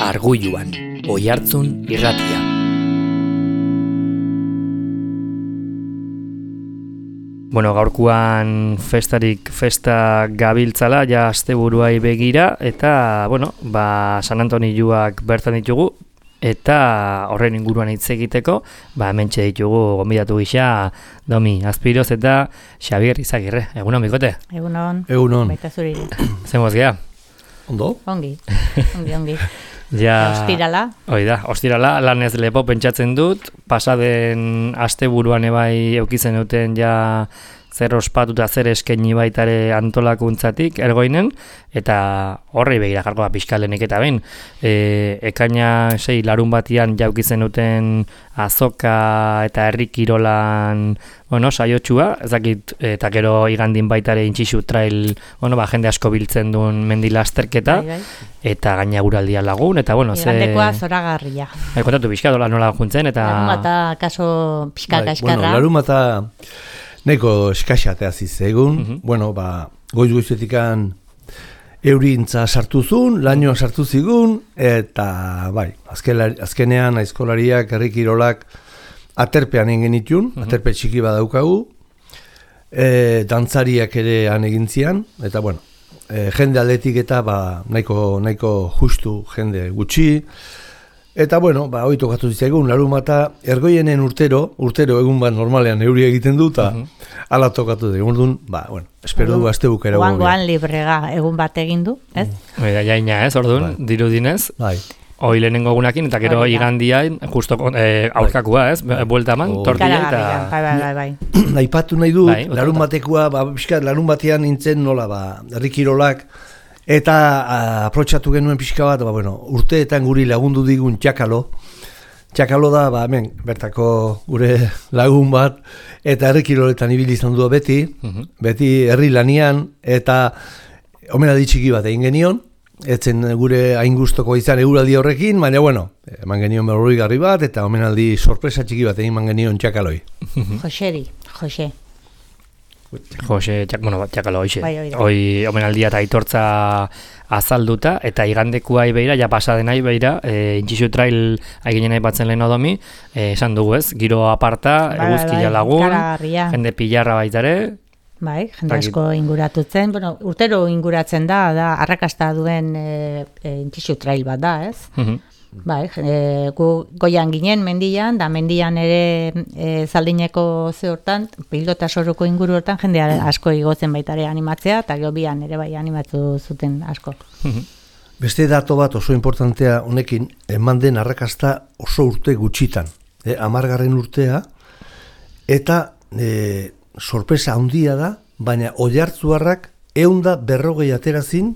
Argulluan, Oihartzun irratia. Bueno, gaurkoan festa gabiltzala, ja asteburuai begira, eta, bueno, San Antonioak bertan ditugu, eta horren inguruan hitz egiteko, hementxe ditugu gonbidatu gisa Domi Azpiroz eta Xabier Izagirre. Egunon, bikote? Egunon. Egunon. Baita zuriri. Zemoz gea? Ondo? Ongi. Ja, ostirala. Ostirala, lanez lepo pentsatzen dut, pasaden asteburuan ebai eukitzen duten ja zer ospatuta zer eskaini baitare antolakuntzatik ergoinen, eta horrei begira jarkoa pixkalenik eta behin. Ekaina 6 larun batian jaukitzen duten azoka eta herri kirolan saiotxua, ezakit, eta gero igandin baitare intxixu trail, jende asko biltzen duen mendilasterketa, Bai. eta gaina guraldia lagun, eta Igandekoa zoragarria. Kontatu pixka nola juntzen, eta... Larumata kaso pixka kaskarra. Larumata neko eskaxatea zizegun, goiz-goizetikan eurintza sartuzun, lainoa sartu zigun, eta azkenean aizkolariak, herri kirolak aterpean egin genitun, aterpe txiki badaukagu, dantzariak ere han egin zian, eta jende aldetik eta nahiko justu jende gutxi, eta hori tokatu zitzaigun, larumata ergoienen urtero egun bat normalean euri egiten du, eta ala tokatu zitzaigun, espero du astebukera Oangoan librega egun bat egin du, ez? Jaina ez, orduan, dirudinez. Bai. Hoi lehenengo egunakin, eta gero igandiain, justo aurkakua, ez? Buelta eman, tortilla eta... Bai. Aipatu nahi du, larun batekoa, larun batean nintzen nola, herri kirolak, eta aprotxatu genuen pixka bat, urteetan guri lagundu digun Txakalo. Txakalo da, hemen, bertako gure lagun bat, eta herri kiroletan ibili izan du beti herri lanian, eta omenaldi txiki bat egin genion, etzen gure hain gustoko izan eguraldi horrekin, baina eman genion berrogeigarri bat, eta omenaldi sorpresa txiki bat egin genion Txakaloi. Txakalo, hoi omenaldia eta aitortza azalduta, eta igandekuai beira, ja pasadenai beira, intxixu trail aginen nahi batzen lehen odomi, esan dugu ez, giro aparta, eguzkia lagun, jende pilarra baitare. Bai, jende asko inguratutzen, urtero inguratzen da arrakasta duen intxixu trail bat da, ez? Bai, gu goian ginen mendian, da mendian ere Zaldineko hortan, pilota soruko inguru hortan, jende asko igotzen baitare animatzea, eta gobian ere bai animatu zuten asko. Beste dato bat oso importantea honekin, eman den arrakasta oso urte gutxitan, 10. urtea, eta sorpresa handia da, baina Oihartzuarrak 140 aterazin,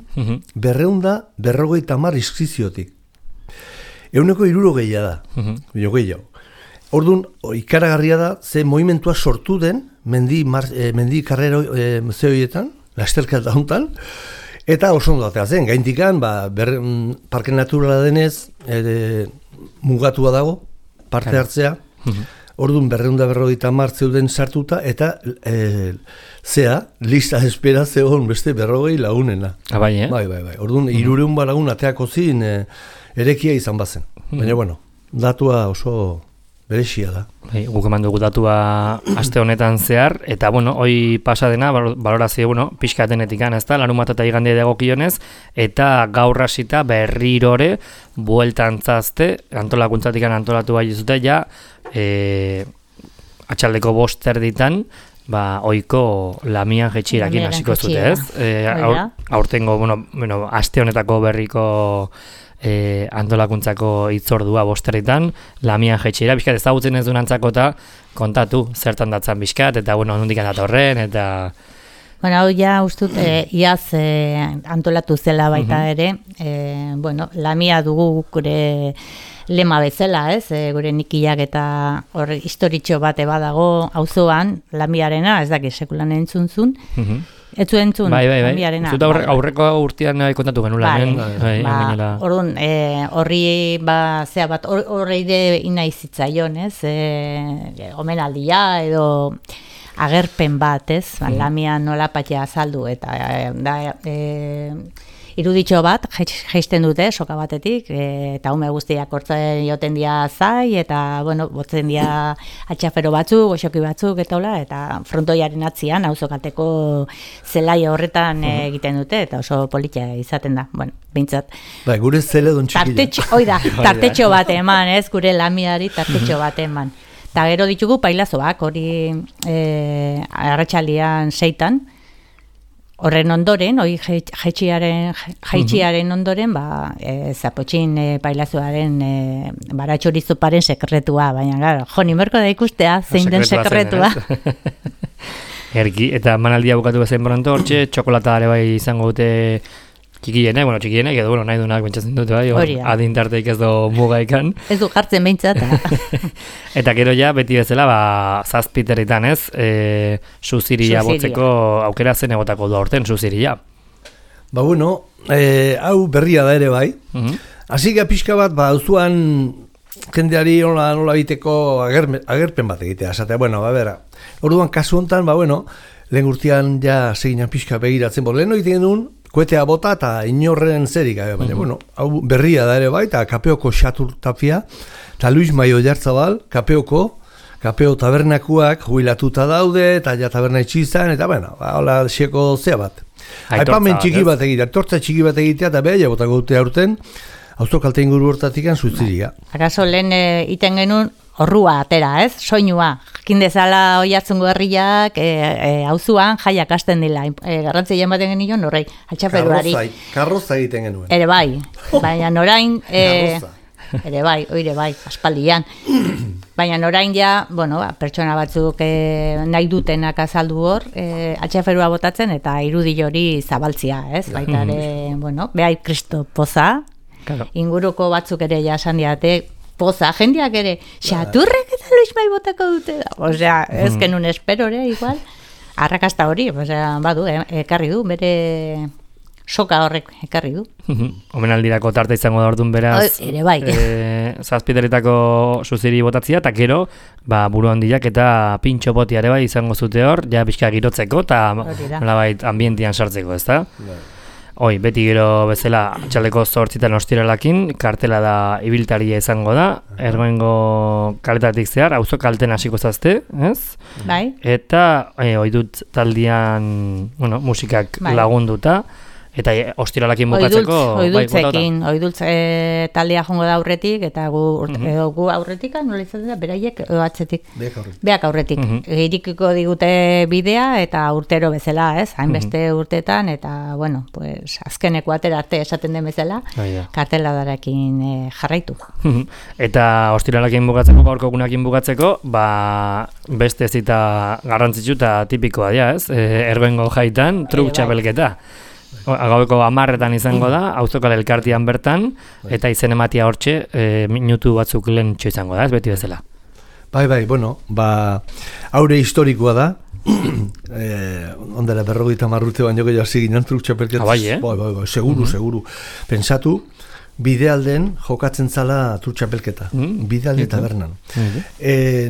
250 inskripziotik. 160 da, gehiago. Orduan, ikaragarria da, ze movimentua sortu den, mendi karrero zehoietan, lasterka dauntan, eta oso ondo atea zen, gaintikan, parke naturala denez, mugatua dago, parte hartzea, orduan 250 zeuden sartuta, eta lista espera zegoen beste 40 lagunena. Bai. Orduan, 300 lagun ateako zin, erekia izan bazen. Baina, datua oso berexia da. Guk eman dugu datua aste honetan zehar, eta, hoi pasadena, balorazio, pixkatenetikan, ez da, larunbat eta igandea dagokionez, eta gaur hasita berrirore bueltantzazte, antolakuntzatikan antolatu bai zute, ja, atxaldeko 5 erditan, oiko lamian jetxirakin hasiko zute, ez? Aurtengo, aste honetako berriko antolakuntzako hitzordua 5 erditan, lamian jetxira, bizkat ezagutzen ez duen antzako eta kontatu zertan datzan bizkat, eta nondik datorren, eta... Hau ja ustut, iaz antolatu zela baita ere, lamia dugu gure lema bezala, ez? Gure nikiak eta hor historitxo bate badago auzoan lamiarena, ez dakit sekulan entzunzun. Ez zu entzun, lamiarena. Zuta aurreko urtean kontatu genula. Orduan, horri horri inaizitzaion, ez? Omenaldia edo agerpen bat, ez? Lamia nola patea azaldu, eta iruditxo bat jaisten dute soka batetik, eta ume guztiak hortzen joten dia zai, eta, bueno, botzen dia atxafero batzuk, goxoki batzuk, eta frontoiaren atzian, auzokateko zelaia horretan egiten dute, eta oso politia izaten da, bueno, bintzat. Bai, gure zeledon txikila. Tartetxo bat eman, ez, gure lamiari tartetxo bat eman. Eta gero ditugu pailazoak, hori arratsaldean 6:00, horren ondoren, hori jaitxiaren ondoren, zapotxin pailazoaren baratxorizoparen sekretua, baina, gara, joni merko da ikustea, zein den sekretua. Erki, eta manaldia bukatu bezain bronto, hortxe, txokolata ere bai izango dute txikienek, edo, nahi duenak bentsatzen dute, bai, adintarteik ez du mugaikan. Ez du jartzen bentsat. Eta gero ja, beti bezala, zazpiterritan ez, suziria botzeko aukera zen egotako du aurten, suziria. Ba, bueno, hau berria da ere bai. Hasi pixka bat, auzuan jendeari nola biteko agerpen bat egitea. Esatea, bueno, bera, orduan kasu hontan, lehen urtean ja seginan pixka begiratzen, lehen egiten genuen, koetea bota eta inorren zerik, baina, hau berria da ere bai, eta Kapeoko Xatur Tapia, eta Luis Maio Jartzabal, Kapeo tabernakuak jubilatuta daude, eta ja taberna itxizan, eta, hola, xeko zea bat. Aipamen txiki bat egitea, tortza txiki bat egitea, eta beha, botako dute aurten, auzokalte inguru hortatikan suziria. Akaso lehen iten genuen, horrua atera, ez? Soinua. Jakin dezala oiatzungo herriak auzuan jaiak hasten dila. Garrantzia ematen genion horrei, atxaperuari. Karroza egiten genuen. Ere bai, baina norain ere bai, aspaldian. Baina orain ja, pertsona batzuk nahi dutenak azaldu hor, atxaferua botatzen eta irudi hori zabaltzia, ez? Baita ere, behai kristo poza, inguruko batzuk ere jasan diate, poza, jendeak ere, xaturrek eta Luis Mai botako dute. Osea, ez genuen espero ere, igual, arrakasta hori, badu, ekarri du, bere soka horrek ekarri du. Omenaldirako tarta izango da orduan beraz, ere bai. zazpiteretako suziri botatzia, eta gero, buru handiak eta pintxo botiare bai izango zute hor, ja pixka girotzeko, eta nolabait ambientian sartzeko, ez da? Hoi, beti gero bezala txaleko 8 ostiralakin, kartela da ibiltaria izango da, Ergoengo kaletatik zehar, auzo kalten hasiko zazte, ez? Bai. Eta oidut taldian, musikak lagunduta, eta ostiralakin bukatzeko... Oidultz taldea jongo da aurretik, eta gu aurretik, nola izaten da, beraiek atzetik. Beak aurretik. Girikiko digute bidea, eta urtero bezala, ez? Hainbeste urtetan, eta, azkeneko atera arte esaten den bezala, karteladarekin jarraitu. Eta ostiralakin bukatzeko, gaurko egunakin bukatzeko, beste zita garrantzitsu eta tipikoa dira, ez? Ergoengo jaitan, truk txapelketa. Gaueko 10:00 izango da, auzokal elkartian bertan, eta izen ematia hortxe, minutu batzuk lehen izango da, ez beti bezala. Bai, haure historikoa da, ondela 50 urte baino gehiago hasi ginen truk txapelketaz. Bai, seguru. Pentsatu, bidealden jokatzen zala truk txapelketa, bidealde tabernan.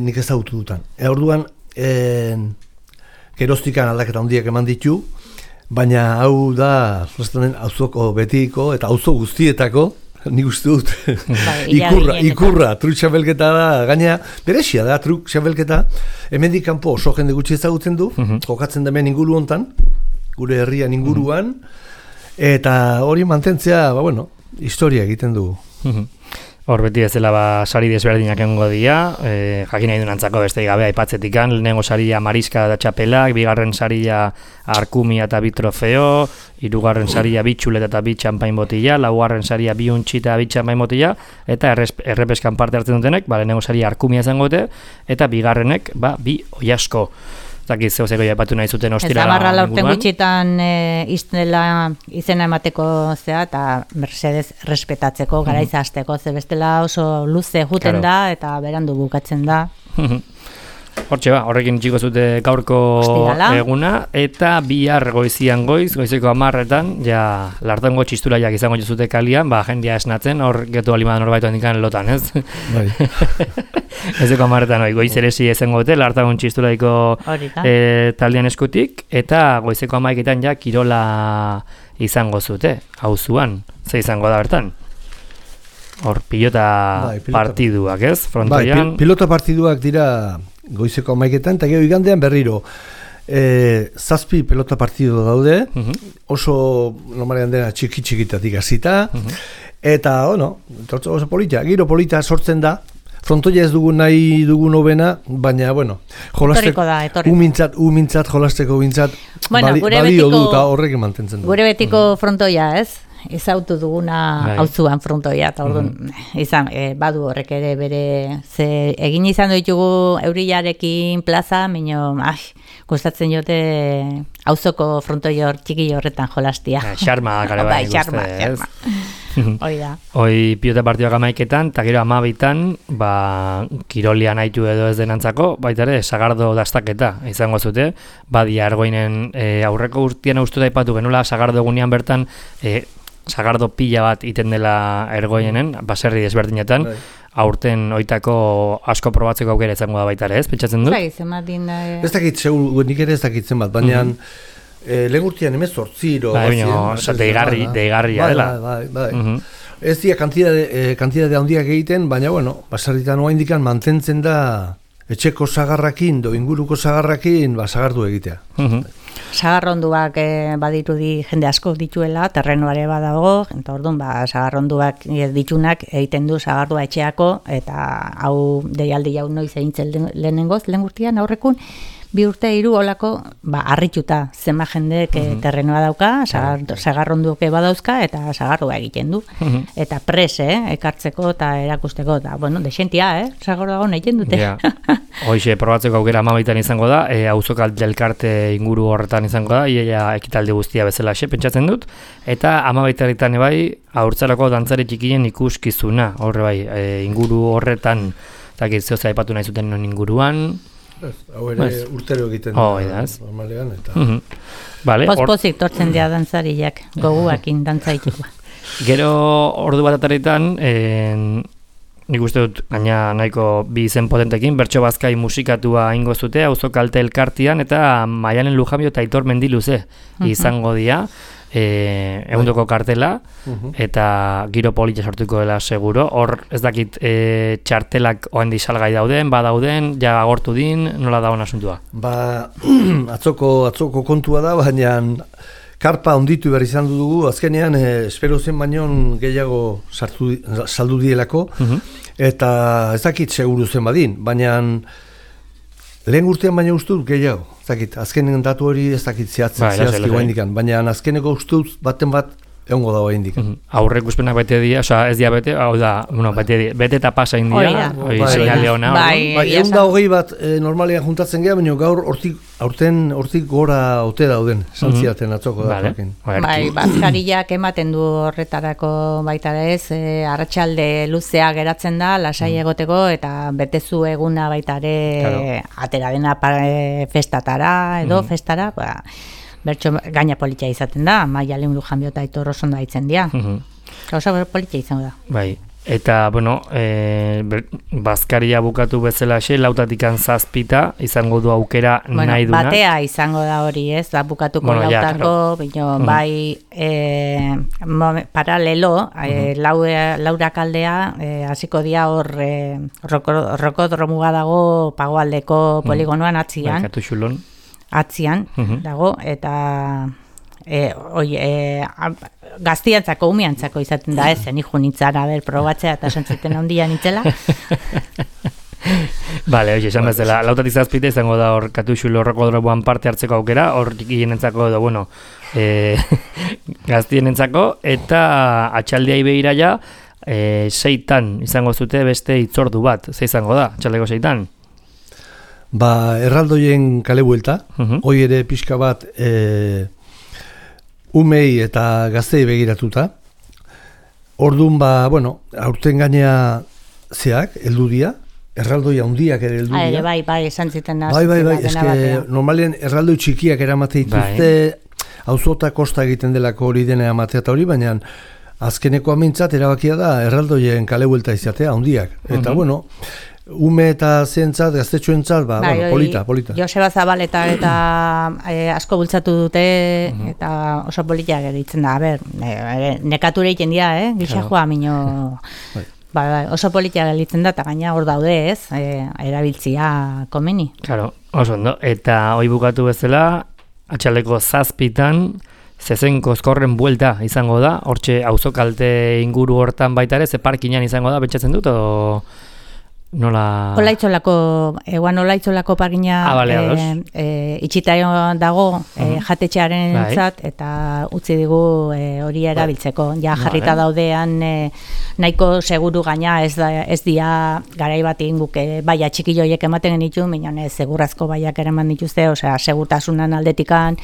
Nik ez autu dutan. Orduan, geroztikan aldaketa handiak eman ditu, baina hau da, auzoko betiko eta auzo guztietako, nik uste dut, ikurra, truk txapelketa da, gaina, berexia da, truk txapelketa, hemendik kanpo oso jende gutxi ezagutzen du, jokatzen da hemen inguru hontan, gure herrian inguruan, eta hori mantentzea, historia egiten du. Hor beti ez dela sari desberdinak egongo dira, jakin nahi duen antzako beste gabe aipatzetikan, lehenengo saria mariska da txapelak, bigarren saria arkumia eta bi trofeo, hirugarren saria bi txuleta eta bi txampain botila, laugarren saria bi untxi eta bi txampain botila, eta errepeskan parte hartzen dutenek, lehenengo saria arkumia izango dute, eta bigarrenek bi oiasko. Zakiz zeuzeko jaipatu nahi zuten ostirala inguruan. Ez da urte gutxitan izena emateko zea eta Mercedes respetatzeko, garaiz hasteko, ze bestela oso luze juten da eta berandu bukatzen da. Hortxe horrekin txiko zute gaurko eguna, eta bihar goizeko 10:00, ja, lartango txistulaiak izango zute kalian, jendia esnatzen, hor getu alimadan horbaitu handikan lotan, ez? Bai. Ezeko 10:00, goiz eresi ezengo dute, lartango txistulaiko taldean eskutik, eta goizeko 11:00 ja, kirola izango zute, auzuan, ze izango da bertan? Hor, pilota partiduak, ez? Frontoian. Pilota partiduak dira goizeko 11etan, eta gero igandean berriro. 7 pelota partidu daude, oso normalean dena txiki-txikitatik hasita, eta, oso polita, giro polita sortzen da, frontoia ez dugu nahi dugun hobena, baina, jolasteko, umintzat, jolasteko umintzat, balio du eta horrek mantentzen du. Gure betiko frontoia, ez? Ezautu duguna auzuan frontoia, eta orduan, badu horrek ere bere, ze egin izan ditugu eurilarekin plaza, minio, gustatzen jote auzoko frontoi hor txiki horretan jolastia. Xarma, gare bai, xarma. Hoi da. Hoi pilota partioak 11etan, eta gero 12etan, kirolian haitu edo ez denantzako, baita ere, sagardo dastaketa izango zute, badia Argoinen aurreko urtean uste da ipatu genuela, sagardo egunean bertan, sagardo pila bat iten dela Ergoienen, baserri desberdinetan, aurten oitako asko probatzeko aukera izango da baita ere, ez? Pentsatzen dut? Ez dakit, nik ere ez dakitzen bat, baina lehen urtean 18 deigarria dela. Ez dira kantidade handiak egiten, baina, baserritan oa indikan mantentzen da etxeko sagarrakin, inguruko sagarrakin, sagardu egitea. Sagarronduak badirudi jende asko dituela, terrenoare badago, eta orduan sagarronduak ditunak egiten du sagardua etxeako, eta hau deialdi jau noiz egintzen lehenengoz, lehen urtean aurrekun, 2 urte 3 olako harrituta zenba jendek terrenoa dauka, sagarronduke badauzka eta sagarroa egiten du. Eta ekartzeko eta erakusteko, eta desentia, sagarroa egiten dute. Hoxe, probatzeko aukera 12etan izango da, auzoko elkarte inguru horretan izango da, iaia ekitaldi guztia bezala pentsatzen dut, eta 12etan bai, haurtzarako dantzari txikien ikuskizuna, horre bai, inguru horretan, eta zehose aipatu nahi zuten non inguruan, hau ere urtero egiten da, normalean, eta... Pospozik tortzen dira dantzariak, goguakin dantzaituko. Gero ordu bat ataretan, nik uste dut, gaina nahiko bi izen potentekin, Bertso Bazkai musikatua ingo zute, auzoko kalte elkartian, eta Maialen Lujambio eta Aitor Mendiluze izango dira, ehundoko kartela, eta giro polita sortuko dela seguro. Hor ez dakit txartelak oendi salgai dauden, badauden, ja agortu din, nola dagoen asuntua? Atzoko kontua da, baina karpa onditu behar izan dugu, azkenean espero zen baino gehiago saldu dielako, eta ez dakit seguru zen badin, baina lehen urtean baina uste dut gehiago. Azkenen datu hori ez dakit zehazki guaindikan, baina azkeneko uste dut baten bat egongo dago indikan. Aurrek uspenak bete dira, ez dira bete, hau da, bete eta pasa india, seinale hona. Egun da hogei bat normalean juntatzen geha, baina gaur hortik gora ote dauden, santziaten atzoko da. Bazkariak ematen du horretarako baita ez, arratsalde luzea geratzen da, lasai egoteko, eta betezu eguna baita ere atera dena festatara edo festara, Bertso gaina politia izaten da, Maialen Lujambio eta Aitor Osondo daitzen dira. Gauza politia izango da. Bai, eta, bazkaria bukatu bezala lautatik 7 izango du aukera nahi dunak. Batea izango da hori, ez, da bukatuko lautako, bai, paralelo, laurak aldea, hasiko dira hor, rokodromuga dago Pagoaldeko poligonoan atzian. Baikatu xulon. Atzian dago, eta gaztiantzako, umiantzako izaten da zen, nik nitzara probatzea eta santzuten handia nitzela. Bale, esan bezala, lautatik 7 izango da hor Katuxulo rokodromoan parte hartzeko aukera, hor tikienentzako edo, gaztienentzako, eta atxaldiai behira ja, 6 izango zute beste hitzordu bat, ze izango da, atxaldeko 6? Erraldoien kale buelta, hoi ere pixka bat umei eta gaztei begiratuta. Orduan, aurten gainea zeak, heldu dira, erraldoia handiak ere heldu dira. Bai, esan ziten da. Bai, eske normalean erraldoi txikiak eramate dituzte, auzota kosta egiten delako hori dena amatea eta hori, baina azkeneko amintzat erabakia da erraldoien kale buelta izatea handiak. Eta ume eta zentzat, gaztetxoentzat, polita. Joseba Zabaleta eta asko bultzatu dute, eta oso politia geritzen da. Nekature egiten dira, gixajoa minio... oso politia gelitzen da, eta gaina hor daude ez, erabiltzia komeni. Claro, oso ondo. Eta hoi bukatu bezala, atxaldeko 7:00 Zezenko Ezkorren buelta izango da, hortxe auzokalte inguru hortan baita ere, ze parkinan izango da, pentsatzen dut, o nola... Olaitzolako parkina itxita dago jatetxearen zat, eta utzi digu hori erabiltzeko. Ja jarrita daudean nahiko seguru gaina ez dia garai bat egin guk baia txikilloiek ematen genitu, minon segurazko baiak ere eman dituzte, osea, segurtasunan aldetikan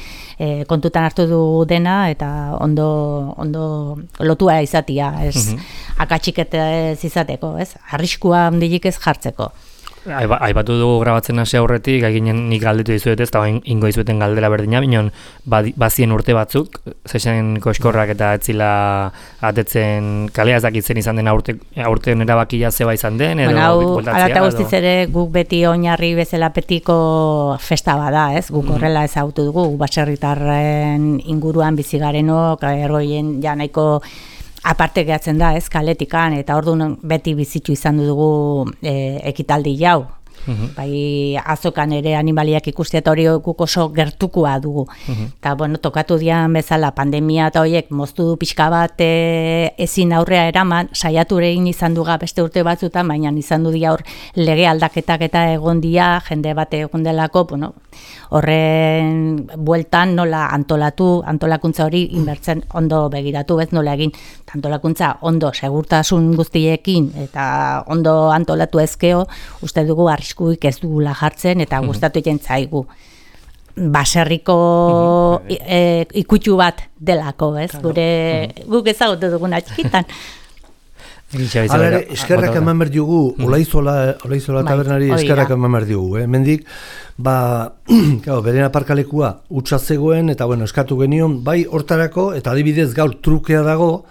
kontutan hartu du dena, eta ondo lotua izatia, ez akatsik ez izateko, ez? Arriskua handilik ez jartzeko. Aipatu dugu grabatzen hasi aurretik, ginen nik galdetu dizuet ez, eta ingo dizueten galdera berdina, binon bazien urte batzuk, Zezenko Ezkorrak eta etzila atetzen kalea ez dakitzen izan den aurten erabakia zeba izan den, edo bueltatzea. Alata guztiz ere guk beti oinarri bezala petiko festa bada, ez? Guk horrela ezagutu dugu, baserritarren inguruan bizigarenok, ergoien ja nahiko aparte gehatzen da, ez, kaletikan, eta orduan beti bizitu izan dugu ekitaldi jau. Bai, azokan ere animaliak ikustea eta hori oso gertukua dugu. Eta, tokatu dian bezala pandemia eta horiek moztu du pixka bat ezin aurrea eraman, saiatu egin izan duga beste urte batzutan, baina izan du dia hor lege aldaketak eta egon dia, jende bat egon delako, horren bueltan nola antolakuntza hori inbertzen ondo begiratu, ez nola egin antolakuntza ondo segurtasun guztiekin eta ondo antolatu ezkeo, uste dugu arriskuik ez dugula jartzen eta gustatu egin zaigu. Baserriko ikutxu bat delako, ez? Guk ezagutu duguna txikitan. Hala, eskerrak eman behar diogu, Olaizola tabernari eskerrak eman behar diogu. Mendik, beren aparkalekua utza zegoen, eta eskatu genion, bai hortarako, eta adibidez gaur trukea dago,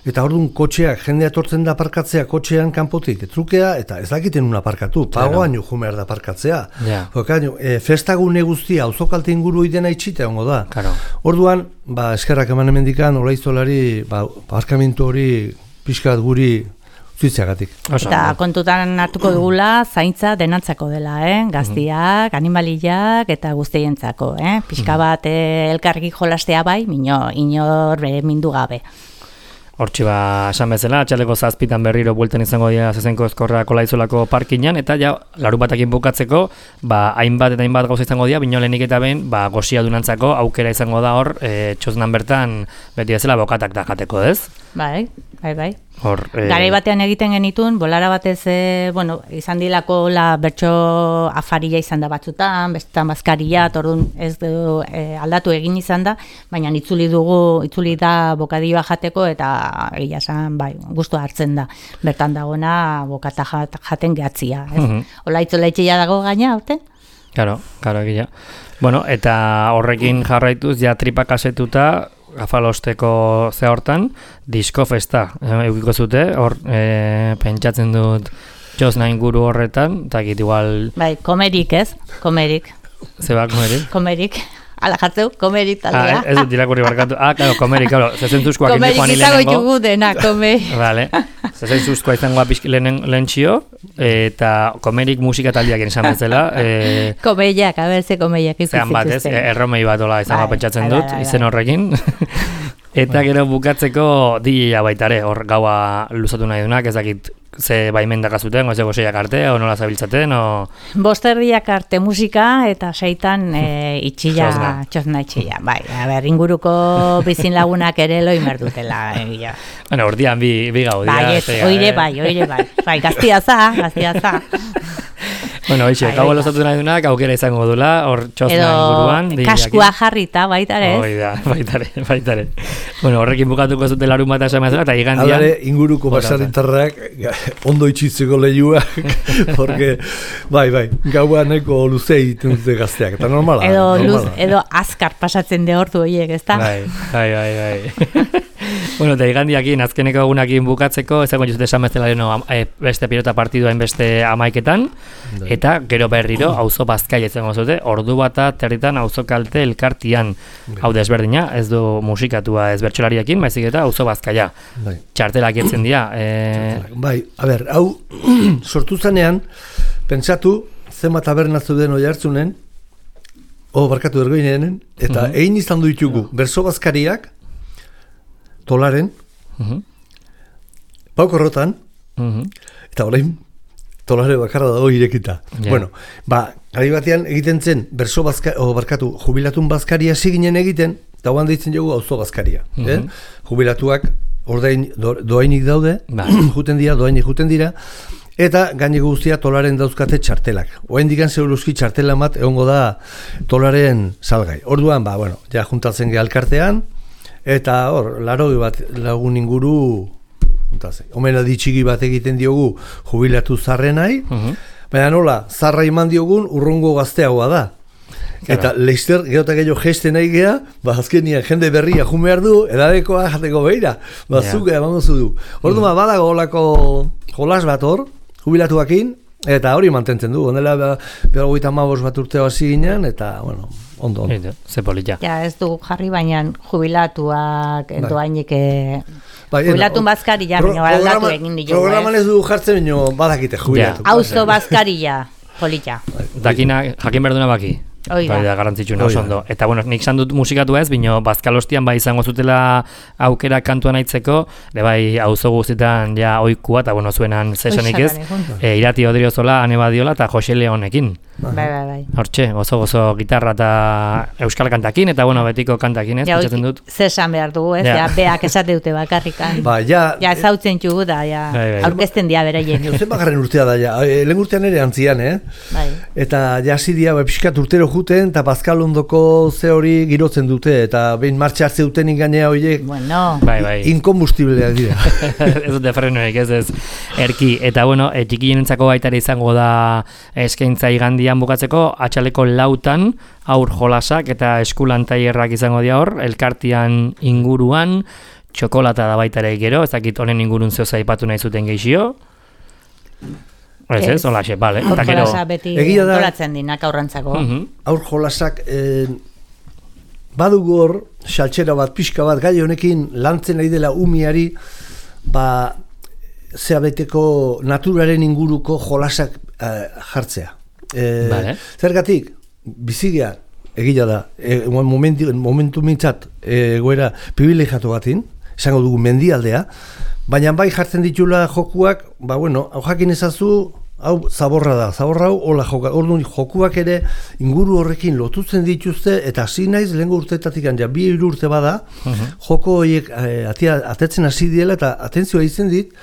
eta orduan kotxeak, jendea etortzen da aparkatzea kotxean kanpotik, trukea, eta ez dakiten un aparkatu, pagoan jo jumer da aparkatzea. Festagune guztia, auzokalte inguru idena itxita hongo da. Orduan, eskerrak eman emendikan, Olaizolari, aparkamentu hori, pixkat guri zuitzeagatik. Eta kontutan hartuko dugula, zaintza denantzako dela, gaztiak, animaliak eta guztientzako. Pixka bat elkarrik jolastea bai, inor mindu gabe. Hortxe esan bezala, atxaldeko 7:00 berriro buelten izango dira Zezenko Ezkorrak Olaizolako parkinan, eta ja, larunbatakin bukatzeko, hainbat eta hainbat gauza izango dira, bino lehenik eta behin, gozia dunantzako aukera izango da hor, txosnan bertan, beti bezala bokatak da jateko, ez? Bai. Garai batean egiten genitun, bolara batez, izan dilako bertso afaria izan da batzutan, bestetan bazkaria, orduan ez du aldatu egin izan da, baina itzuli da bokadioa jateko, eta egia esan, gustua hartzen da. Bertan dagona bokata jaten gehatzia. Olaitzola itxia dago gaina, hauten? Claro, egia. Eta horrekin jarraituz, ja tripak asetuta, Gafalosteko ze hortan, disko festa eukiko zute, hor pentsatzen dut txosna inguru horretan, eta egit igual... Komerik ez, komerik. Zeba, komerik? Komerik, ala jartzeu, komerik taldea. Ez dut irakurri barkatu, komerik, zezentuzkoak indi joan hilenengo. Komerik izango jugu dena, komerik. Vale, zezentuzkoa izango lehen txio, eta komerik musika taldiak izan bezala. Komeiak, ze komeiak izan zean bat, ez, erromei bat ola izango pentsatzen dut, izen horrekin. Eta gero bukatzeko DJ-a baitare, hor gaua luzatu nahi dunak, ez dakit ze baimendak azuten, ze gozeiak arte, o nola zabiltzaten, o... Bosterdiak arte musika, eta seitan txosna itxilla. Inguruko bizin lagunak ere loi merdutela. Ordian bi gaudia. Oire bai. Gaztiaza. Hoxe, gau lozatu nahi dunak, aukera izango dula, hor txosna inguruan. Edo kaskua jarrita, baitare. Baitare. Horrekin bukatuko zute larun bat esan mazela, eta igandian... Alare, inguruko basarritarrak ondo itxitzeko lehiuak, porque, gaua nahiko luzea egiten dute gazteak, eta normala. Edo azkar pasatzen de ordu horiek, ezta? Bai. Bueno, eta igandiakin, azkeneko egunakin bukatzeko, ez dagoen juzute esan bezala beste pilota partiduain beste amaiketan, eta gero berriro, auzo bazkaia izango zute, ordu bata territan auzo kalte elkartian. Hau desberdina, ez du musikatua ez bertsolariakin, baizik eta auzo bazkaia. Txartelak etzen dira. Bai, a ber, hau sortu zanean, pentsatu, zema tabernatzu den oi hartzunen, barkatu Ergoinenen, eta egin izan du ditugu, berso bazkariak, Tolaren, Paukorrotan, eta orain Tolare bakarra dago irekita. Bueno, gari batean egiten zen berso jubilatun bazkaria ziginen egiten, eta hoan ditzen dugu auzo bazkaria. Jubilatuak ordain doainik daude, doainik juten dira, eta gaineko guztia Tolaren dauzkate txartelak. Oain digan zeuruzki txartela bat egongo da Tolaren salgai. Orduan, ja juntatzen geha elkartean, eta hor, laroi bat lagun inguru, omena ditxiki bat egiten diogu jubilatu zarrenai, baina nola, zarra iman diogun urrungo gazteagoa da. Eta Leister geota gehiago geste nahi geha, azkenian jende berria jumehar du, edadekoa jateko behira, zuke emango zu du. Orduan, badago olako jolas bat hor, jubilatuakin, eta hori mantentzen du. Ondela, 55 bat urteo hasi ginen, eta, ondo. Ze polita. Ja, ez du jarri baina jubilatuak doainik jubilatun bazkaria, aldatu egin ditugu. Programan ez du jartzen, badakite jubilatu. Auzo bazkaria, polita. Dakina, jakin berduna baki. Bai da garrantzitsuna oso ondo. Eta nik izan dut musikatu ez, bino bazkalostian izango zutela aukera kantuan aitzeko, bai auzo guztietan ja oikua, eta zuenan zesanik ez, Irati Odriozola, Ane Badiola eta Jose Leonekin. Bai. Hortxe, gozo gitarra eta euskal kantakin, eta betiko kantakin ez, pentsatzen dut. Zesan behar dugu ez, beak esate dute bakarrikan. Ja ezautzen txugu da, aurkezten dia bereien. Zer bakarren urtea da, lehen urtean ere antzian, eta jasi dia pixkat urtero juten, eta bazkalondoko ze hori girotzen dute, eta behin martxa hartze duten inganea horiek, inkombustibleak dira. Ez dute frenoek, ez erki. Eta txikienentzako baitare izango da eskaintza igandian bukatzeko, atxaleko 4 aur jolasak eta eskulan tailerrak izango dira hor, elkartian inguruan, txokolata da baitare gero, ez dakit honen ingurun zehoza aipatu nahi zuten gehixio. Ez, holaxe, bale. Aur jolasa beti antolatzen dinak aurrantzako. Aur jolasak badugu hor, xaltxera bat, pixka bat, gai honekin lantzen nahi dela umiari, zeabeteko naturaren inguruko jolasak jartzea. Zergatik, bizigea, egila da, momentu mintzat egoera privilegiatu batin, esango dugu mendialdea, baina bai jartzen ditula jokuak, hau jakin ezazu, hau zaborra da, zaborra hau, hola joka, orduan jokuak ere inguru horrekin lotutzen dituzte, eta hasi naiz, lehenko urteetatik ja 2 urte bada, joko horiek atetzen hasi diela, eta atentzioa izen dit,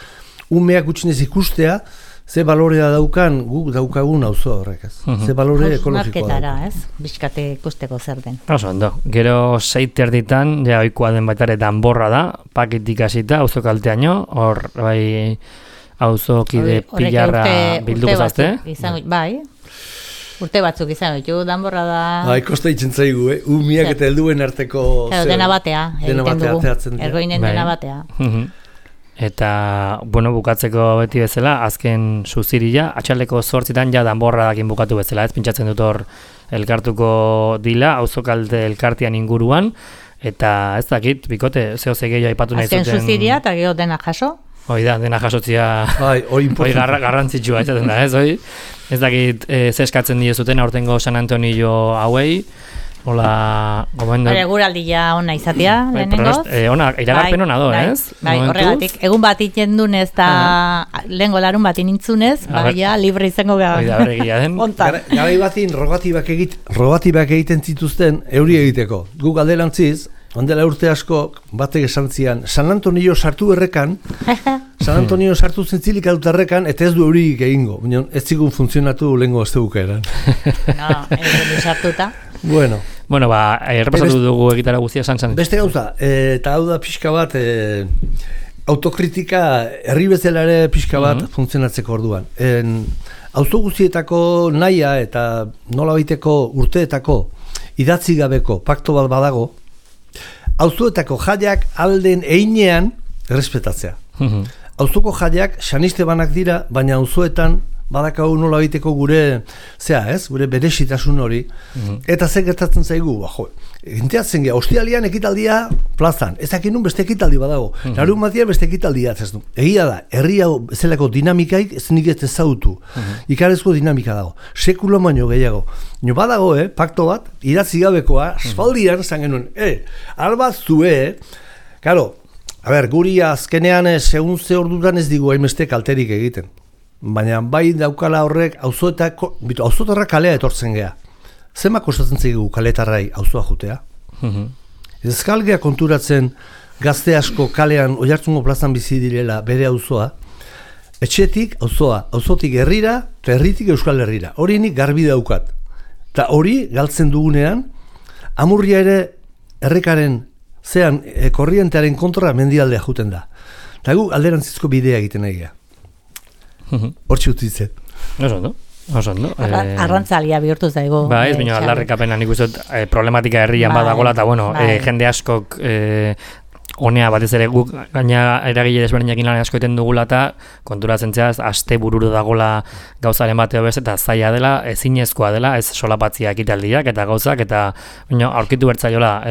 umeak gutxinez ikustea, ze balorea daukan guk daukagun auzo horrek, ez? Ze balore ekologikoa da. Ez? Bizkate ikusteko zer den. Oso ondo. Gero 6 erditan, ja ohikoa den baitare danborra da, paketik hasita auzo kalteaino, hor bai auzokide pilarra bilduko zazte. Bai. Urte batzuk izan ditu, danborra da. Bai, kosta itzen zaigu, umiak eta helduen arteko dena batea, egiten dugu. Ergoinen dena batea. Eta, bukatzeko beti bezala, azken suziria, atxaleko 8 ja danborra dakin bukatu bezala, ez pintxatzen dut hor elkartuko dila, auzokalte elkartian inguruan, eta ez dakit, bikote, zehoze gehiago aipatu nahi zuten. Azken suziria eta gehiago dena jaso? Hoi da, dena jasotzia garrantzitsua, ez dakit, zeskatzen dira aurtengo San Antonio hauei, hola, gomendo. Guraldia ona izatea, lehenengoz. Iragarpen ona do, ez? Bai, horregatik. Egun bat itendunez eta lehengo larun bat inintzunez, libre izango gara. Garai batin rogatibak egiten zituzten euri egiteko. Gu galderantziz, ondela urte asko batek esan zian, San Antonio sartu errekan, San Antonio sartu zentzilik adut errekan, eta ez du eurik egingo. Ez zigun funtzionatu lehengo aztebuka eran. Ez sartuta. Bueno, errepasatu dugu egitara guztia san. Beste gauza, eta hau da pixka bat, autokritika herri bezala ere pixka bat funtzionatzeko orduan. Auzo guztietako nahia eta nola baiteko urteetako idatzi gabeko pakto bat badago, auzoetako jaiak alden einean errespetatzea. Auzoko jaiak xanistebanak dira, baina auzoetan badakau nola egiteko gure gure berezitasun hori. Eta zer gertatzen zaigu, enteatzen gea, ostialian ekitaldia plazan, ez dakin nun beste ekitaldi badago, larunbatian beste ekitaldia ez du. Egia da, herri hau zelako dinamikaik ez nik ez ezautu, ikarezko dinamika dago, sekulo baino gehiago. Nio badago, pakto bat, idatzi gabekoa, asfaldian zan genuen, albat zue, karo, guri azkenean segun ze ordutan ez digu hainbeste kalterik egiten. Baina bai daukala horrek auzotarra kalea etortzen gea. Zema kostatzen zaigu kaletarrai auzoa jutea? Ez galgea konturatzen gazte asko kalean Oiartzungo plazan bizi direla bere auzoa, etxetik auzoa, auzotik herrira, eta herritik Euskal Herrira. Hori nik garbi daukat. Eta hori galtzen dugunean, amurria ere errekaren korrientearen kontra mendialdea juten da. Eta gu alderantzizko bidea egiten egia. Hortxe utitzen. Oso ondo. Arrantzalia bihurtu zaigu. Ba, ez baina aldarrikapena nik uste problematika herrian badagola, eta jende askok honea batez ere guk gaina eragile desberdinekin lan asko egiten dugula eta konturatzen zeaz aste bururu dagola gauzaren bateo bez eta zaila dela, ezinezkoa dela, ez solapatzia ekitaldiak eta gauzak eta aurkitu bertzaiola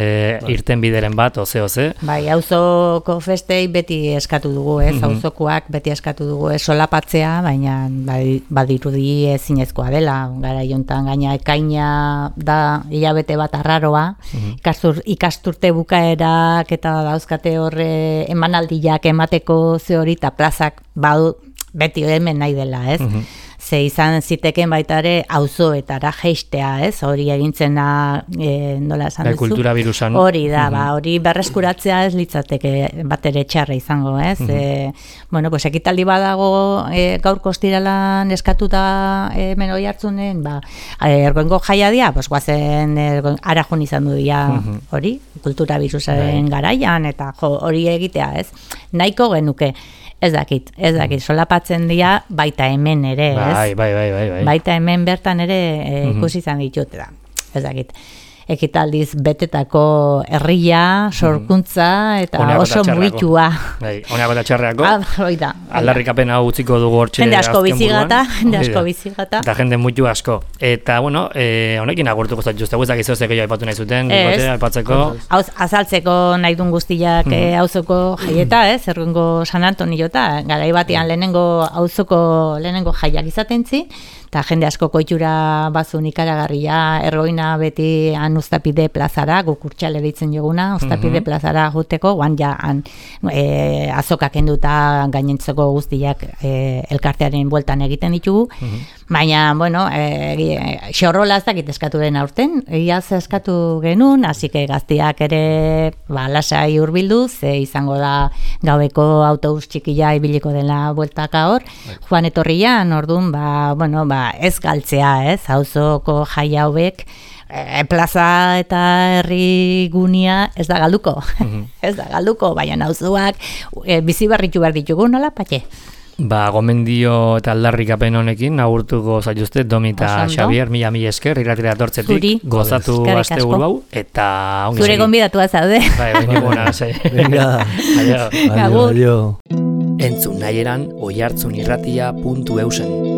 irten bideren bat, oze. Bai, auzoko festei beti eskatu dugu, auzokoak beti eskatu dugu, solapatzea, baina badirudi ezinezkoa dela, gara jontan gaina ekaina da hilabete bat arraroa, ikasturte bukaerak eta dauzkate horre emanaldiak emateko ze hori eta plazak beti hemen nahi dela, ez? Ze izan ziteken baita ere auzoetara jeistea, ez? Hori egintzen da, nola esan duzu? Kultura birusan. Hori da, hori berreskuratzea ez litzateke bat ere txarra izango, ez? Ekitaldi badago gaur kostiralan eskatuta hemen Oiartzunen, Ergoengo jaiadia, guazen arajun izan du dira hori, kultura birusaren garaian, eta hori egitea, ez? Nahiko genuke. Ez dakit, solapatzen dira baita hemen ere, ez? Bai. Baita hemen bertan ere ikusi izan ditut da. Ez dakit. Ekitaldiz betetako herria, sorkuntza eta oso mugitua. Honeako eta txarreako. Aldarrikapen hau utziko dugu hortxe azken buruan. Jende asko bizigata. Eta jende muitu asko. Eta, honekin agurtuko zaituzte, guztak izozeko jo aipatu nahi zuten, aipatzeko. Azaltzeko nahi dun guztiak auzoko jaieta, Ergoengo San Antoniota, garai batean lehenengo jaiak izatentzi, eta jende asko koitura bazun ikaragarria, Ergoina beti Uztapide plazara, guk Urtxale deitzen joguna, Uztapide plazara joteko, guan ja azokak enduta gainentzeko guztiak elkartearen bueltan egiten ditugu, baina, xorrola ez dakit eskatu den aurten, iaz eskatu genuen, hasike gaztiak ere lasai hurbildu, ze izango da gaueko autobus txikia ibiliko dela bueltaka hor, joan etorrian, orduan, ez galtzea, auzoko jai hauek, plaza eta herri gunia ez da galduko. Ez da galduko, baina auzoak bizi berritu behar ditugu, nola, Patxe? Gomendio eta aldarrikapen honekin agurtuko zaituzte Domi eta Xabier, mila esker, irratira etortzetik, gozatu asteburu hau, eta ongi zure gonbidatua zaude. Venga, adio. Entzun nahieran oiartzunirratia.eusen.